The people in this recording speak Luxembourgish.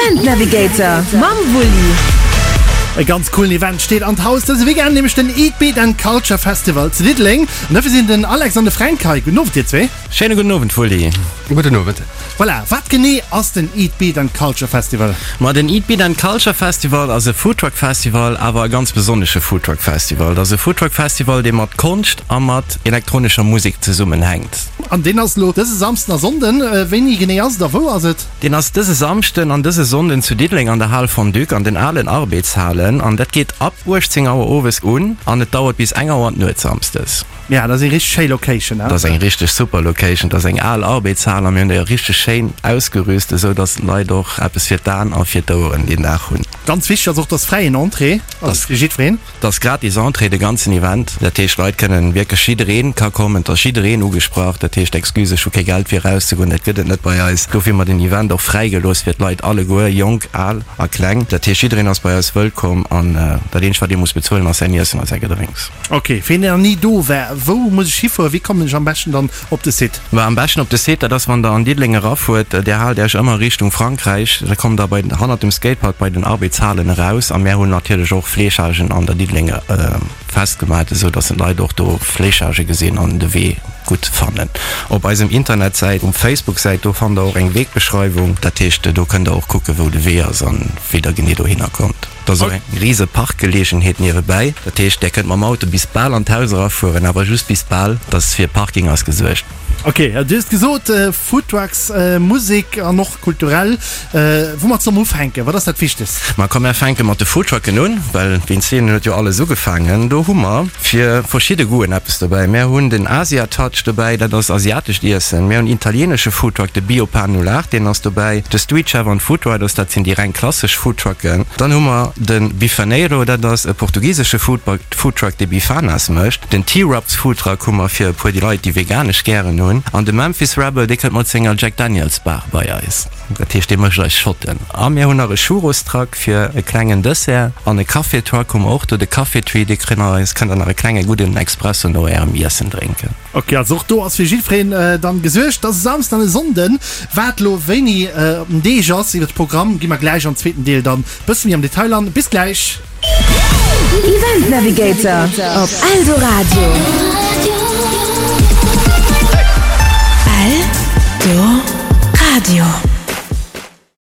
Event Navigator mam Wulli. E ganz coolen Event steet an d'Haus dëse Weekend, nämlech den Eat Beat and Culture Festival zu Diddeleng. An dofir sinn den Alex an de Fränk hei. Gudden Owend dir zwee. Schéine gudden Owend Wulli. Gudden Owend. Voilà, wat genee ass den Eat Beat and Culture Festival? Ma den Eat Beat and Culture Festival ass e Foodtruck Festival, awer e ganz besonnesche Foodtruck Festival. Et ass e Foodtruck Festival, dee mat Konscht a mat elektronescher Musek zesummenhänkt. An deen ass elo dëse Samsden a Sonnden. Wéini genee ass et a wou ass et? Deen ass dëse Samschden an dëse Sonnden zu Diddeleng an der Hal Fondue, an den alen Arbeedshalen. An dat geet ab 18 Auer owes un an et dauert bis eng Auer d'Nuet samsdes. Ja, dat ass eng richteg schéi Location, he? Dat ass eng richteg super Location. Dat ass eng al Arbeedshal a mir hunn déi och richteg schéin ausgerüst, esou dass d'Leit och eppes fir d'Aen a fir d'Oueren deen Dag hunn. Ganz wichteg ass och, dass fräien Entrée, also fir jiddwereen. Et ass gratis Entrée, de ganzen Event. Dat heescht, d'Leit kënnen wierklech, jiddereen ka kommen, et ass jiddereen ugesprach. Dat heescht, Excuse, ech hu kee Geld fir erauszegoen, dat gëtt et net bei eis. Dofir hu mer den Event och fräi gelooss fir d'Leit alleguer, jonk, al a kleng. Dat heescht, jiddereen ass bei eis wëllkomm an dat eenzegt, wat ee muss bezuelen, ass säin Iessen a säi Gedrénks. Ok, fir een deen nach ni do war, wou muss ech hifueren? Wéi kommen ech am beschten dann op de Site? Ma am beschten op de Site, dat ass wann der an Diddeleng erafuert, där haalt Äech ëmmer Richtung Frankräich, da kommt der bei hannert dem Skatepark bei den Arbeedshalen eraus a mär hunn natierlech och Fleechagen an der Diddelenger festgemat, esou dass d'Leit och do Fleechage gesinn an de Wee gutt fannen. Op eisem Internetsäit, um Facebook-Säit, do fannt der och eng Wegbeschreiwung, dat heescht do kënnt der och kucke wou de Wee ass an wéi der genee dohinner kommt. Et ass och eng rise Parkgeleegenheet niewebäi. Dat heescht, Där kënnt mam Auto bis bal an d'Haus erafueren, awer just bis bal, dass fir Parking ass gesuergt. Ok, du hues gesot, Foodtrucks, Musek an och kulturell. Woumat solle mer ufänken? Wat ass dat Wichtegst? Ma komm, mär fänke mat de Foodtrucken un, well wéinst deenen huet jo alles ugefaangen. Do hu mer fir verschidde Goûten eppes dobäi. Mär hunn den Asia Touch dobäi, dat ass asiatescht Iessen. Mär hunn italienesche Foodtruck, de Bio Pan 08, deen ass dobäi. De Street Chef an d'Food Riders, dat sinn déi reng klassesch Foodtrucken. Dann hu mer de Bifaneiro, dat ass e portugisesche Foodtruck, dee Bifanas mécht. Den T-Rubs Foodtruck hu mer fir e puer déi Leit, déi veganesch gären hunn. An de Memphis Rebel, dee kënnt mat senger Jack Daniels Bar bei eis. Dat heescht, dee mécht eis Shotten. A mir hunn nach e Churros-Truck fir e klengen Dessert. An e Café-Truck hu mer och do, de Café Tree, dee kënnt eis, kënnt der nach e klenge gudden Expresso no ärem Iessen drénken. Ok, also och do ass fir jiddwereen dann gesuergt. Dat ass e Samsden an e Sonnden. Wat lo wéini op den Deeg ass, iwwer de Programm gi mer gläich am zweeten Deel dann bësse méi am Detail an. Bis gläich! Event Navigator op Eldoradio. Eldoradio.